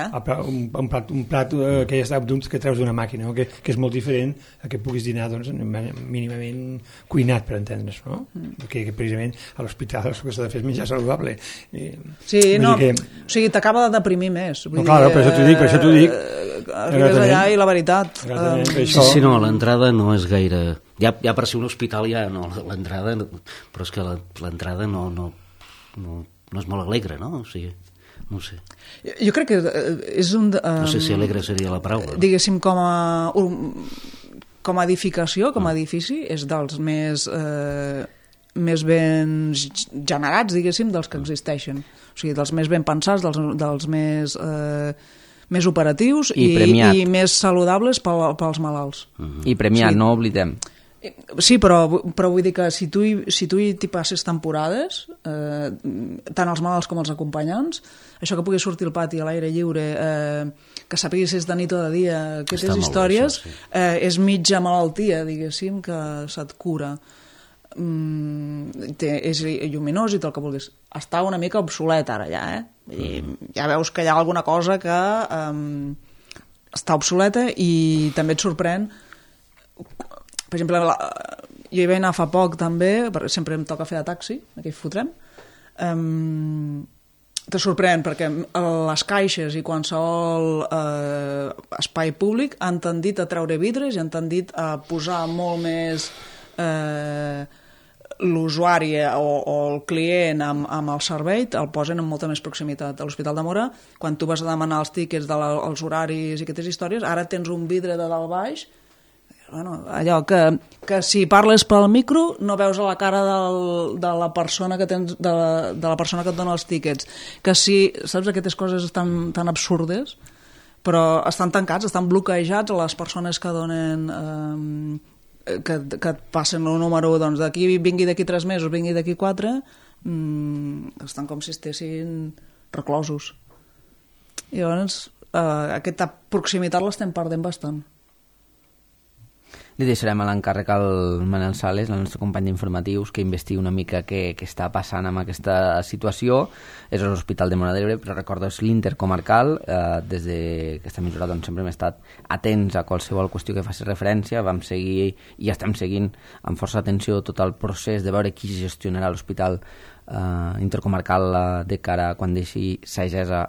un plat que ja està que treus d'una màquina, que és molt diferent a que puguis dinar doncs, mínimament cuinat, per entendre's, no? Perquè precisament a l'hospital el que s'ha de fer és menjar saludable. Sí, no, o sigui, t'acaba de deprimir més. No, clar, per això t'ho dic. Arribes allà i la veritat... Sí, no, l'entrada no és gaire... Ja per ser un hospital ja no, l'entrada... Però és que l'entrada no és molt alegre, no? O sigui, no ho sé. Jo crec que és un... No sé si alegre seria la paraula. Diguéssim, com a edificació, com a edifici, és dels més ben generats, diguéssim, dels que existeixen. O sigui, dels més ben pensats, dels més operatius i més saludables pels malalts. I premiat, no oblidem. Sí, però vull dir que si tu hi passes temporades, tant els malalts com els acompanyants, això que pugui sortir al pati a l'aire lliure, que sàpiguis si és de nit o de dia, aquestes històries, és mitja malaltia, diguéssim, que se't cura. És lluminós i tot el que vulguis. Està una mica obsolet ara ja, ja veus que hi ha alguna cosa que està obsoleta i també et sorprèn. Per exemple, jo hi vaig anar fa poc també, perquè sempre em toca fer de taxi, aquí fotrem. Te sorprèn perquè les caixes i qualsevol espai públic han tendit a treure vidres i han tendit a posar molt més l'usuari o el client amb el servei, el posen amb molta més proximitat. A l'Hospital de Móra, quan tu vas a demanar els tíquets dels horaris i aquestes històries, ara tens un vidre de dalt baix. Bueno, allò que si parles pel micro no veus a la cara de la persona que tens, de la persona que et dona els tíquets, que si, saps, aquestes coses tan absurdes, però estan tancats, estan bloquejats a les persones que donen que et passen el número, doncs d'aquí vingui d'aquí 3 mesos, vingui d'aquí 4, estan com si estessin reclosos. I llavors aquesta proximitat l'estem perdent bastant. Li deixarem a l'encàrrec al Manel Sales, el nostre company d'informatius, que investigui una mica què està passant amb aquesta situació. És l'Hospital de Móra d'Ebre, però recordo, és l'intercomarcal. Des d'aquesta emissora doncs, sempre hem estat atents a qualsevol qüestió que faci referència. Vam seguir i estem seguint amb força atenció tot el procés de veure qui gestionarà l'hospital intercomarcal de cara a quan deixi sagessa,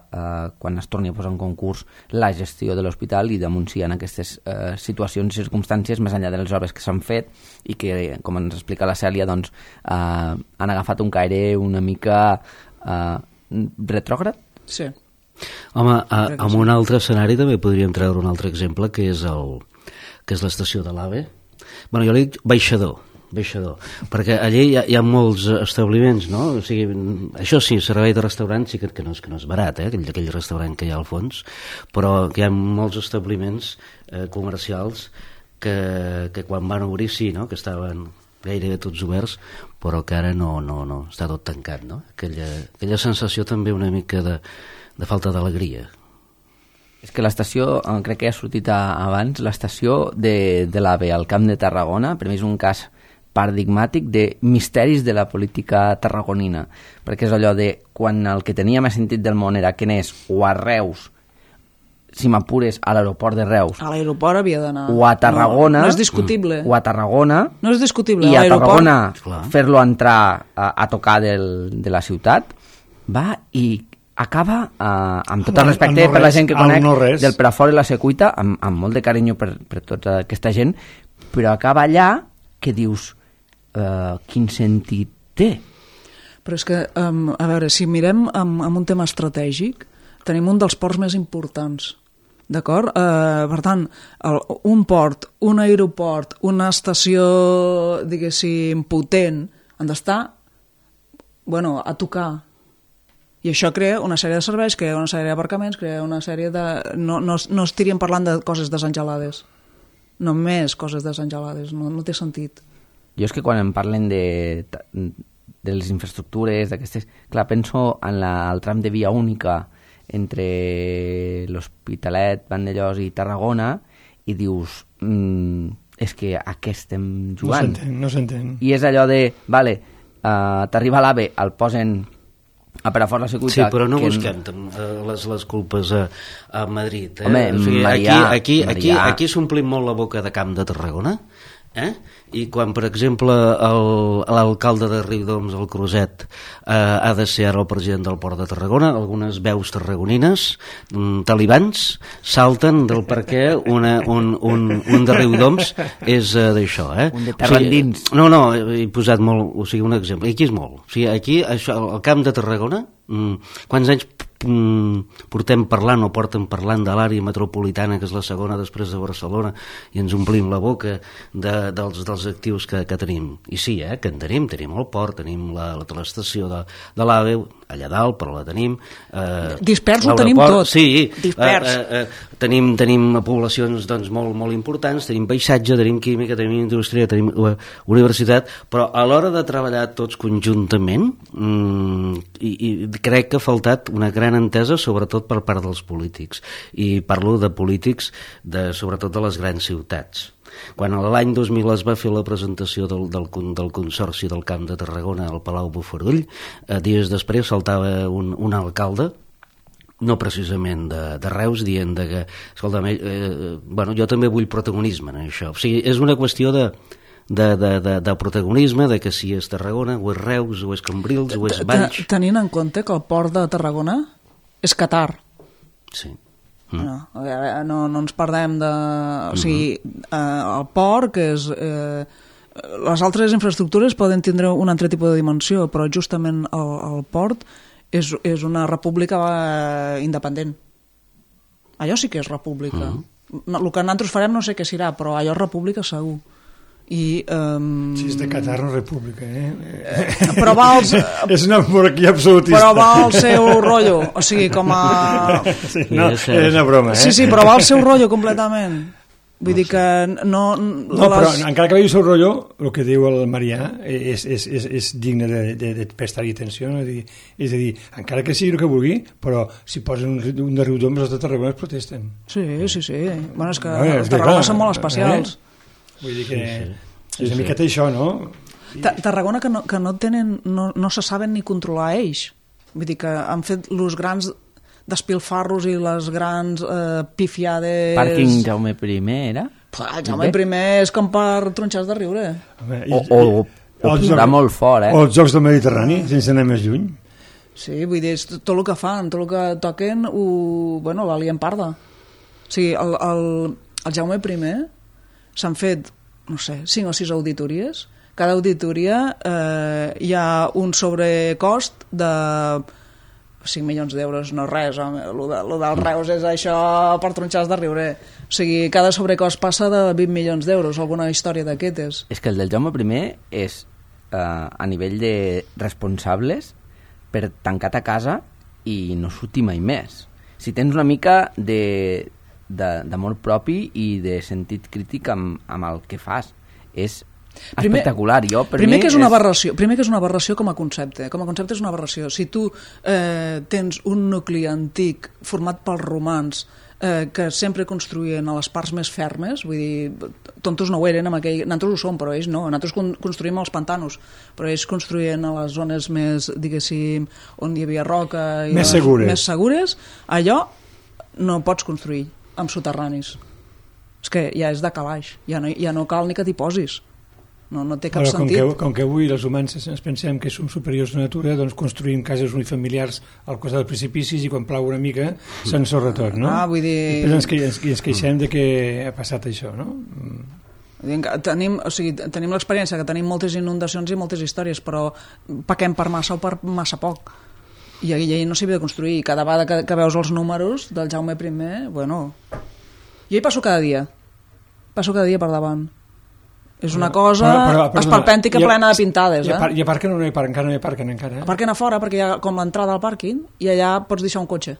quan es torni a posar en concurs la gestió de l'hospital, i damunt si hi ha aquestes situacions i circumstàncies més enllà de les obres que s'han fet i que, com ens explica la Cèlia, doncs, han agafat un caire una mica retrògrad? Sí. Home, en un altre escenari també podríem treure un altre exemple, que és l'estació de l'AVE. Bueno, jo li dic baixador, perquè allí hi ha molts establiments, no? O sigui, això sí, servei de restaurant sí que no és barat, aquell restaurant que hi ha al fons, però que hi ha molts establiments comercials que quan van obrir sí, no? Que estaven gairebé tots oberts, però que ara no, està tot tancat, no? Aquella sensació també una mica de falta d'alegria. És que l'estació, crec que ja ha sortit abans, l'estació de l'AVE al Camp de Tarragona, per mi és un cas paradigmàtic de misteris de la política tarragonina, perquè és allò de quan el que tenia més sentit del món era Quenés o a Reus, si m'apures, a l'aeroport de Reus. A l'aeroport havia d'anar. O a Tarragona. No és discutible. O a Tarragona. No és discutible. I a Tarragona fer-lo entrar a tocar de la ciutat, va i acaba, amb tot el respecte per la gent que conec, del Perafort i la Secuita, amb molt de carinyo per tota aquesta gent, però acaba allà que dius, quin sentit té? Però és que, a veure, si mirem amb un tema estratègic, tenim un dels ports més importants, d'acord? Per tant, un port, un aeroport, una estació, diguéssim, potent, han d'estar, a tocar. I això crea una sèrie de serveis, crea una sèrie d'aparcaments, crea una sèrie de... No estaríem parlant de coses desengelades. Només coses desengelades, no té sentit. Jo és que quan em parlen de les infraestructures, d'aquestes... Clar, penso en el tram de via única entre l'Hospitalet, Vandellòs i Tarragona i dius, és que a què estem jugant? No s'entén. I és allò de, t'arriba l'AVE, el posen a Perafort la Secuita... Sí, però no busquem les culpes a Madrid. Home, o sigui, Marià... Aquí s'omplim molt la boca de Camp de Tarragona, i quan, per exemple, l'alcalde de Riudoms, el Cruzet, ha de ser ara el president del Port de Tarragona, algunes veus tarragonines, talibans, salten del per què un de Riudoms és d'això. Un de tarrandins. O sigui, no, he posat molt, o sigui, un exemple. Aquí és molt. O sigui, aquí, això, el Camp de Tarragona, quants anys portem parlant o porten parlant de l'àrea metropolitana, que és la segona després de Barcelona, i ens omplim la boca dels actius que tenim. I sí, que en tenim el port, tenim l'estació de l'AVE allà dalt, però la tenim. Dispers ho tenim tot. Sí, tenim poblacions molt importants, tenim paisatge, tenim química, tenim indústria, tenim universitat, però a l'hora de treballar tots conjuntament, i crec que ha faltat una gran entesa, sobretot per part dels polítics, i parlo de polítics sobretot de les grans ciutats. Quan l'any 2000 es va fer la presentació del Consorci del Camp de Tarragona al Palau Bofarull, dies després saltava un alcalde, no precisament de Reus, dient que, escolta, jo també vull protagonisme en això. O sigui, és una qüestió de protagonisme, de que si és Tarragona, o és Reus, o és Cambrils, o és Valls... Tenint en compte que el port de Tarragona és Qatar. Sí. No ens perdem de... O sigui, el port, que és... les altres infraestructures poden tindre un altre tipus de dimensió, però justament el port és una república independent. Allò sí que és república. El que nosaltres farem no sé què serà, però allò és república segur. Si és de Qatar, no república, però va és una monarquia absolutista. Però va al seu rotllo, o sigui, com a... Sí, no, és una broma, Sí, però va al seu rotllo completament. Vull dir que no... Però encara que vegi el seu rotllo, el que diu el Marià és digne de prestar-hi atenció, no? És a dir, encara que sigui el que vulgui, però si posen un de Riudoms, els de Tarragona es protesten. Sí. Bueno, és que els Tarragona són molt especials. Vull dir que és una miqueta això, no? Tarragona que no tenen, no se saben ni controlar ells. Vull dir que han fet els grans despilfarros i les grans pifiades... Pàrquing Jaume I, era? Jaume I és com per tronxars de riure. O posar molt fort, O els Jocs del Mediterrani, sense anar més lluny. Sí, vull dir, tot el que fan, tot el que toquen, la lien parda. O sigui, el Jaume I s'han fet, no sé, 5 o 6 auditories. Cada auditoria hi ha un sobrecost de 5 milions d'euros, no res, home. Lo del Reus és això per tronxars de riure. O sigui, cada sobrecost passa de 20 milions d'euros, alguna història d'aquestes. És que el del Jaume I és a nivell de responsables per tancat a casa i no sortir mai més. Si tens una mica d'amor propi i de sentit crític amb el que fas, és espectacular. Primer que és una aberració com a concepte. Com a concepte és una aberració. Si tu tens un nucli antic format pels romans que sempre construïen a les parts més fermes, vull dir, tontos no ho eren, nosaltres ho som, però ells no. Nosaltres construïm als pantanos, però ells construïen a les zones més, diguéssim, on hi havia roca i més segures. Allò no pots construir amb soterranis. És que ja és de calaix, ja no cal ni que t'hi posis. no té cap sentit. Com que avui els humans ens pensem que som superiors a la natura, doncs construïm cases unifamiliars al costat dels precipicis i quan plau una mica s'ensorra tot, no? Vull dir... I ens queixem de que ha passat això, no? Tenim l'experiència que tenim moltes inundacions i moltes històries, però paquem per massa o per massa poc. I allà no s'hi havia de construir. Cada vegada que veus els números del Jaume I, bueno... Jo hi passo cada dia per davant. És una cosa esperpèntica plena de pintades. I a parc encara no hi parquen encara. Aparquen a fora perquè hi ha com l'entrada al pàrquing i allà pots deixar un cotxe.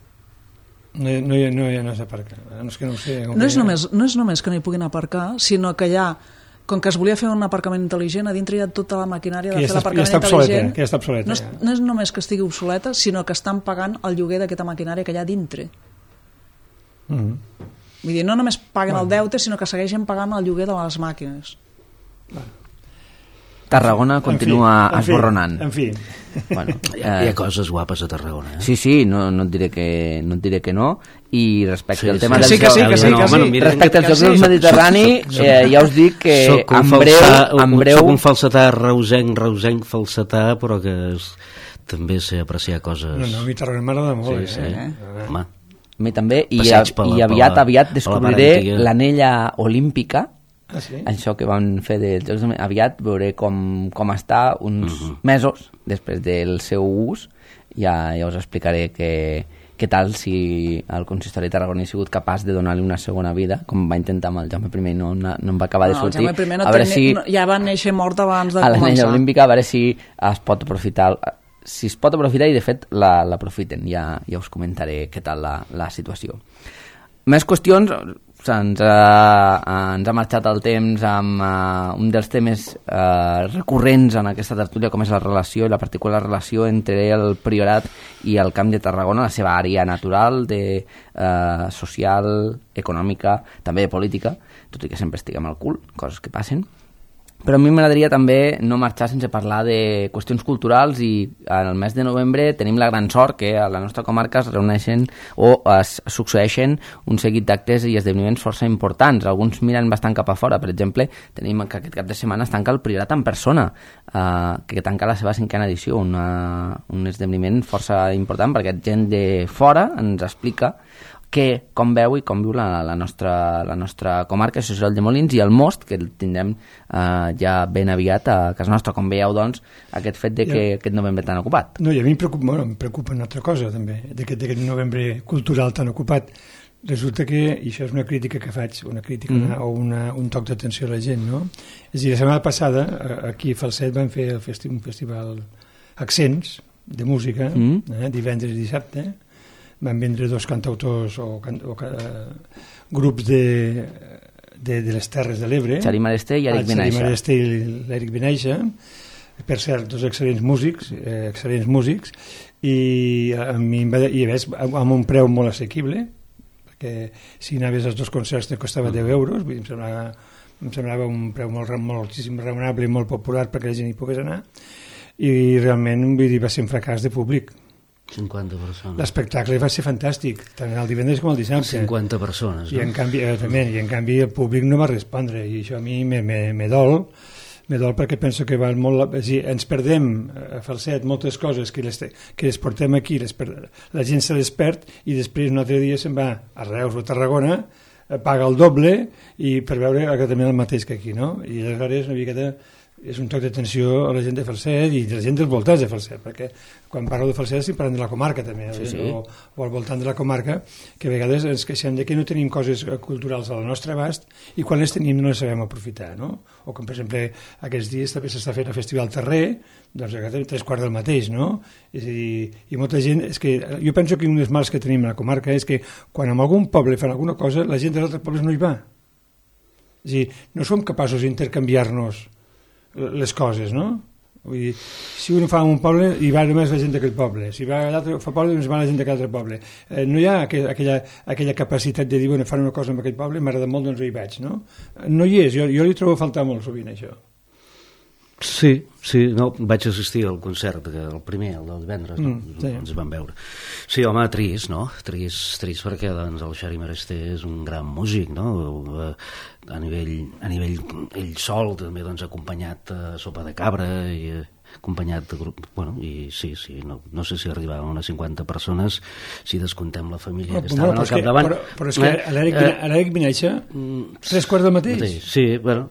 No s'aparca. No és que no ho sé. No és només que no hi puguin aparcar, sinó que hi ha, com que es volia fer un aparcament intel·ligent, a dintre hi ha tota la maquinària de fer l'aparcament intel·ligent. Que ja està obsoleta. No és només que estigui obsoleta, sinó que estan pagant el lloguer d'aquesta maquinària que hi ha dintre. Vull dir, no només paguen el deute, sinó que segueixen pagant el lloguer de les màquines. Tarragona continua esborronant. En fi. Bueno, hi ha coses guapes a Tarragona. Sí, no et diré que no. I respecte al tema dels Jocs del Mediterrani, ja us dic que en breu... Soc un falsetà reusenc falsetà, però que també sé apreciar coses... No, a mi Tarragona m'agrada molt. Sí. Home. A mi també, i aviat descobriré l'anella olímpica. Sí? Això que van fer dels Jocs, aviat veuré com està uns mesos després del seu ús. Ja us explicaré què tal si el consistori de Tarragona ha sigut capaç de donar-li una segona vida, com va intentar amb el Jaume I, no en va acabar de sortir. El Jaume I ja va néixer mort abans de començar. A l'anella olímpica, a veure si es pot aprofitar i de fet l'aprofiten. Ja us comentaré què tal la situació. Més qüestions. Ens ha marxat el temps amb un dels temes recurrents en aquesta tertúlia, com és la relació i la particular relació entre el Priorat i el Camp de Tarragona, la seva àrea natural, social, econòmica, també de política, tot i que sempre estiguem al cul, coses que passen. Però a mi m'agradaria també no marxar sense parlar de qüestions culturals, i en el mes de novembre tenim la gran sort que a la nostra comarca es reuneixen o es succeeixen un seguit d'actes i esdeveniments força importants. Alguns miren bastant cap a fora. Per exemple, tenim que aquest cap de setmana es tanca el Priorat en persona, que tanca la seva 5a edició, un esdeveniment força important perquè gent de fora ens explica com veu i com viu la nostra comarca social de Molins, i el Most, que el tindrem ja ben aviat a casa nostra. Com veieu, doncs, aquest fet de que aquest novembre tan ocupat. No, i a mi em preocupa una altra cosa, també, d'aquest novembre cultural tan ocupat. Resulta que, i això és una crítica que faig, o un toc d'atenció a la gent, no? És a dir, la setmana passada, aquí a Falset van fer un festival Accents, de música, divendres i dissabte. Van vendre 2 cantautors o grups de les Terres de l'Ebre. Xarí Maresté i Eric Benaixa. Xarí Maresté i l'Eric Benaixa. Per cert, 2 excel·lents músics, i a més amb un preu molt assequible, perquè si anaves als 2 concerts te costava 10 euros, vull dir, em semblava un preu moltíssim raonable i molt popular perquè la gent hi pogués anar, i realment, vull dir, va ser un fracàs de públic. 50 persones. L'espectacle va ser fantàstic, tant el divendres com el dissabte. 50 persones, no? I en canvi el públic no va respondre, i això a mi me dol perquè penso que val molt... És a dir, ens perdem a Falset moltes coses que les portem aquí, la gent se les perd, i després un altre dia se'n va a Reus o a Tarragona, paga el doble i per veure exactament el mateix que aquí, no? I aleshores una miqueta és un toc d'atenció a la gent de Falset i a la gent dels voltants de Falset, perquè quan parlo de Falset estic parlant de la comarca també, o al voltant de la comarca, que a vegades ens queixem de que no tenim coses culturals al nostre abast i quan les tenim no les sabem aprofitar, no? O com per exemple aquests dies també s'està fent el Festival Terrer, doncs a 3:15 del mateix, no? És a dir, i molta gent, és que jo penso que un dels mals que tenim a la comarca és que quan en algun poble fan alguna cosa la gent dels altres pobles no hi va. És a dir, no som capaços d'intercanviar-nos les coses, no? Vull dir, si un fa un poble hi va només la gent d'aquell poble, si va a l'altre poble doncs va la gent d'aquell altre poble, no hi ha aquella capacitat de dir, bueno, fan una cosa amb aquell poble, m'agrada molt, doncs hi vaig, no? No hi és, jo li trobo a faltar molt sovint això. Sí, no, vaig assistir al concert, el primer, el del divendres, no? Sí. Ens vam veure. Sí, home, trist, no? Trist perquè doncs, el Xavi Maresté és un gran músic, no? A nivell ell sol, també doncs, acompanyat a Sopa de Cabra i acompanyat de grup, bueno, i sí, no sé si arribaven unes 50 persones si descontem la família que estaven al capdavant. Però és que l'Eric Vinaixa 3/4 del mateix. Sí, bueno,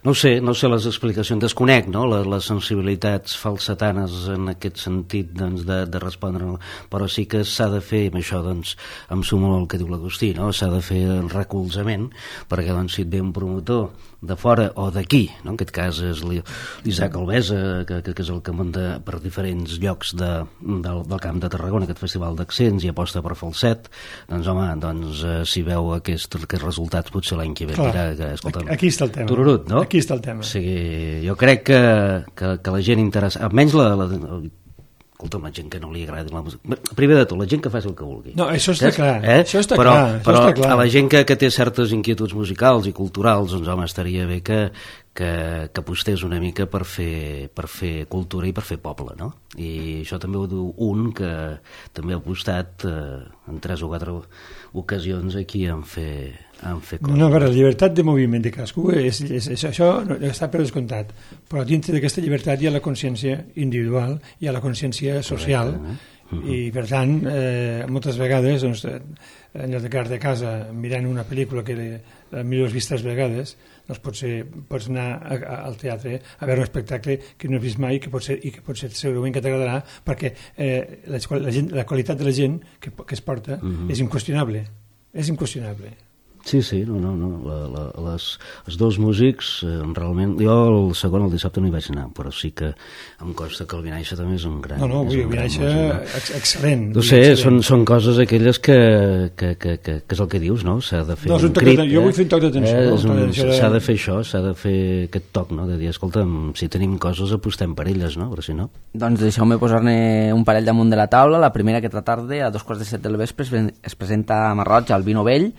no sé les explicacions, desconec, no?, les sensibilitats falsetanes en aquest sentit, doncs, de respondre, no? Però sí que s'ha de fer, amb això, doncs, em sumo al que diu l'Agustí, no?, s'ha de fer el recolzament, perquè, doncs, si et ve un promotor de fora o d'aquí, no?, en aquest cas és l'Isaac Alvesa, que és el que munta per diferents llocs del Camp de Tarragona, aquest festival d'accents, i aposta per Falset, doncs, home, si veu aquests resultats, potser l'any que ve dirà que, escolta, aquí està el tema. Tururut, no? Aquí està el tema. O sigui, jo crec que la gent interessa, almenys escolta'm, la gent que no li agradi la música, primer de tot, la gent que faci el que vulgui. No, això està clar, això està però clar. A la gent que té certes inquietuds musicals i culturals, doncs, home, estaria bé que apostés una mica per fer cultura i per fer poble, no? I això també ho diu un que també ha apostat en 3 o 4 ocasions aquí en fer coses. No, a veure, la llibertat de moviment de cadascú això està per descomptat, però dintre d'aquesta llibertat hi ha la consciència individual, hi ha la consciència social. I per tant, moltes vegades, doncs, en lloc de quedar-te a casa mirant una pel·lícula que millor has vist 3 vegades, doncs pots anar al teatre a veure un espectacle que no has vist mai i que potser segurament que t'agradarà, perquè la qualitat de la gent que es porta és inqüestionable. Sí, els dos músics realment, jo el segon, el dissabte, no hi vaig anar, però sí que em consta que el Vinaixa també és un gran el Vinaixa excel·lent. No sé, són coses aquelles que és el que dius, no? S'ha de fer un crit, jo vull fer un toc d'atenció, s'ha de fer això, s'ha de fer aquest toc, no?, de dir, escolta, si tenim coses apostem per elles, no?, però si no. Doncs deixeu-me posar-ne un parell damunt de la taula. La primera, aquesta tarda, a 2:15 del vespre, es presenta a Marroig al Vino Vell,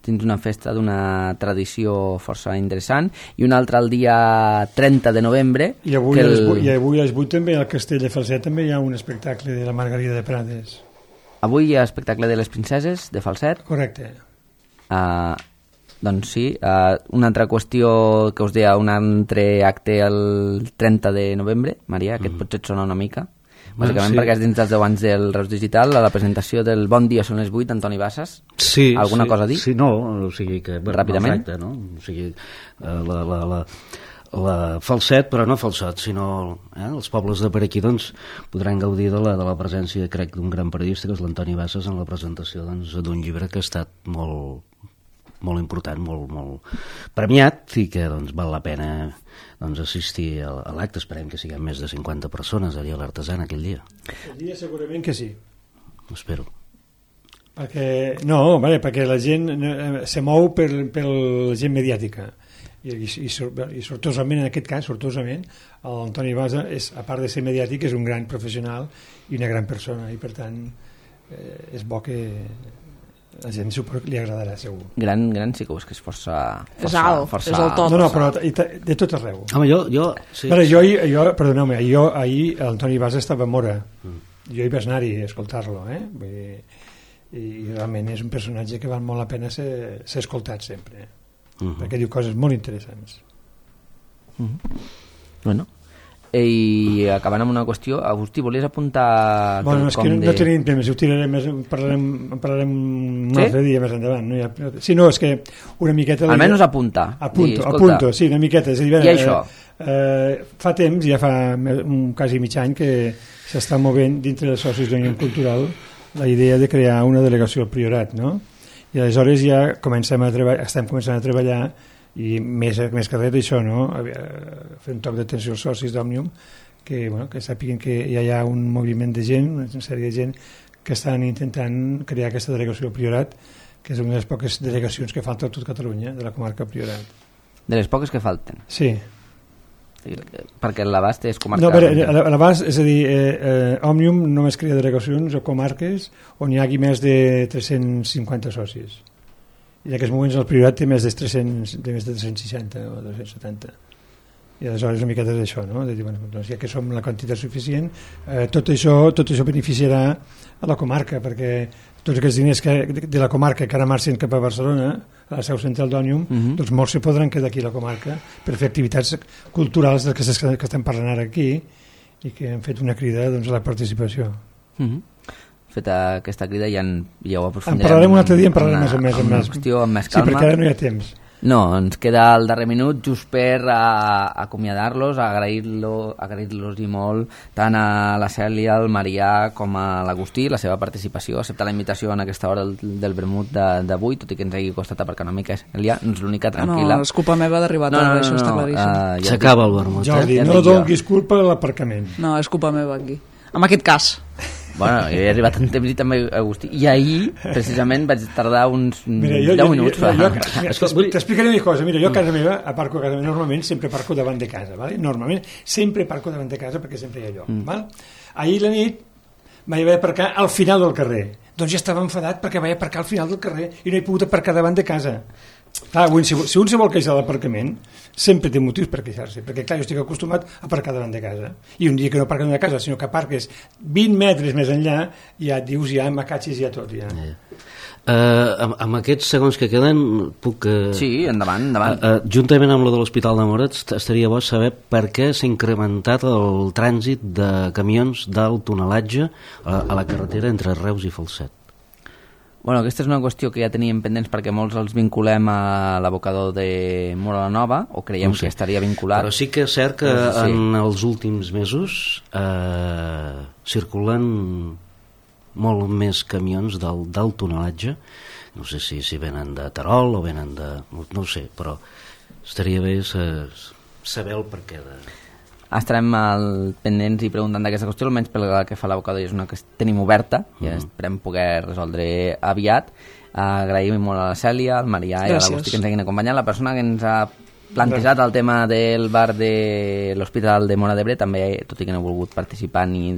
dins una festa d'una tradició força interessant, i una altra el dia 30 de novembre. I avui a les 8 també al Castell de Falset també hi ha un espectacle de la Margarida de Prades. Avui hi ha espectacle de les princeses de Falset. Correcte. Doncs sí, una altra qüestió que us deia, un altre acte el 30 de novembre, Maria, que et potser et sona una mica. Bàsicament perquè és dins dels 10 anys del Reus Digital, a la presentació del Bon dia són les 8 d'Antoni Bassas. Sí, alguna cosa a dir? Sí, no, o sigui que... Ràpidament? Exacte, no? O sigui, la Falset, però no Falset, sinó els pobles de per aquí, doncs, podran gaudir de la presència, crec, d'un gran periodista, que és l'Antoni Bassas, en la presentació d'un llibre que ha estat molt important, molt premiat, i que doncs, val la pena assistir a l'acte. Esperem que siguem més de 50 persones allà a l'Artesana aquell dia. El dia segurament que sí. Espero. Perquè la gent se mou per la gent mediàtica i sortosament, en aquest cas, l'Antoni Basa, a part de ser mediàtic, és un gran professional i una gran persona, i per tant és bo que la gent li agradarà, segur. Gran sí que ho és, que és força és alt, és el top. No, però de tot arreu. Home, jo... Sí. Perdoneu-me, ahir l'Antoni Basa estava a Mora. Jo hi vaig anar-hi a escoltar-lo, i realment és un personatge que val molt la pena ser escoltat sempre, perquè diu coses molt interessants. Bueno, i acabant amb una qüestió, Agustí, volies apuntar... Bueno, és que no tenim temps, ho tirarem més, en parlarem un altre dia més endavant. Sí, no, és que una miqueta... Almenys apunta. Apunto, sí, una miqueta. És a dir, i això? Fa temps, ja fa quasi mig any, que s'està movent dintre dels socis d'Unió Cultural la idea de crear una delegació al Priorat, no? I aleshores ja estem començant a treballar, i més que res d'això, no? Fer un toc d'atenció als socis d'Òmnium, que sàpiguen que ja hi ha un moviment de gent, una sèrie de gent que estan intentant crear aquesta delegació al Priorat, que és una de les poques delegacions que falta a tot Catalunya, de la comarca Priorat. De les poques que falten? Sí. Perquè l'abast és comarcal. No, l'abast, és a dir, Òmnium només crea delegacions o comarques on hi hagi més de 350 socis. I en aquests moments el Priorat té més de 360 o 270. I aleshores una miqueta d'això, no? De dir, bueno, doncs ja que som la quantitat suficient, tot això beneficiarà a la comarca, perquè tots aquests diners de la comarca que ara marxen cap a Barcelona, a la seu central d'Òmnium, doncs molts se podran quedar aquí a la comarca per fer activitats culturals que estem parlant ara aquí i que han fet una crida doncs, a la participació. Feta aquesta crida ja ho aprofundirem. En parlarem un altre dia, en parlarem més qüestió amb més calma. Sí, perquè ara no hi ha temps. No, ens queda el darrer minut just per acomiadar-los, agrair-los i molt tant a la Cèlia, al Marià com a l'Agustí, la seva participació, acceptar la invitació en aquesta hora del vermut d'avui, tot i que ens hagi costat aparcar una mica. Cèlia, no és l'única, tranquil·la. No, és culpa meva d'arribar tard, això està claríssim. S'acaba el vermut. Jordi, no donguis culpa a l'aparcament. No, és culpa meva aquí. En aquest cas. Bueno, jo he arribat en temps i també Agustí. I ahir, precisament, vaig tardar uns 10 minuts. T'explicaré una cosa. Mira, jo a casa meva, aparco a casa meva, normalment sempre parco davant de casa, ¿vale? Normalment sempre parco davant de casa perquè sempre hi ha lloc. ¿Val? Ahir la nit vaig haver d'aparcar al final del carrer. Doncs ja estava enfadat perquè vaig aparcar al final del carrer i no he pogut aparcar davant de casa. Clar, si un se vol queixar de l'aparcament, sempre té motius per queixar-se, perquè clar, jo estic acostumat a aparcar davant de casa, i un dia que no aparques davant de casa, sinó que aparques 20 metres més enllà, ja et dius, ja m'acatxis ja tot, ja. Amb aquests segons que queden puc... Sí, endavant. Juntament amb lo de l'Hospital de Moret estaria bo saber per què s'ha incrementat el trànsit de camions d'alt tonelatge a la carretera entre Reus i Falset. Bueno, aquesta és una qüestió que ja teníem pendents perquè molts els vinculem a l'abocador de Móra la Nova, o creiem que estaria vinculat. Però sí que és cert que en els últims mesos circulen molt més camions d'alt tonelatge. No sé si venen de Terol o venen de... no ho sé, però estaria bé saber el perquè de... Estarem pendents i preguntant d'aquesta qüestió, almenys pel que fa a l'abocador, és una que tenim oberta i esperem poder resoldre aviat. Agraïm molt a la Cèlia, al Marià i a l'Agustí que ens hagin acompanyat. La persona que ens ha plantejat el tema del bar de l'Hospital de Móra d'Ebre també, tot i que no ha volgut participar ni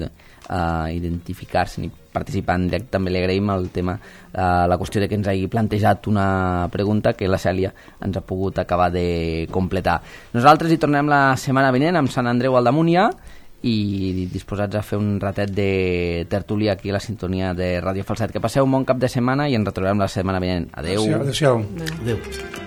identificar-se ni participar en directe, també li agraïm el tema, la qüestió de que ens hagi plantejat una pregunta que la Cèlia ens ha pogut acabar de completar. Nosaltres hi tornem la setmana vinent amb Sant Andreu Aldamúnia i disposats a fer un ratet de tertúlia aquí a la sintonia de Ràdio Falset. Que passeu un bon cap de setmana i ens retrobem la setmana vinent. Adéu. Adéu. Adéu.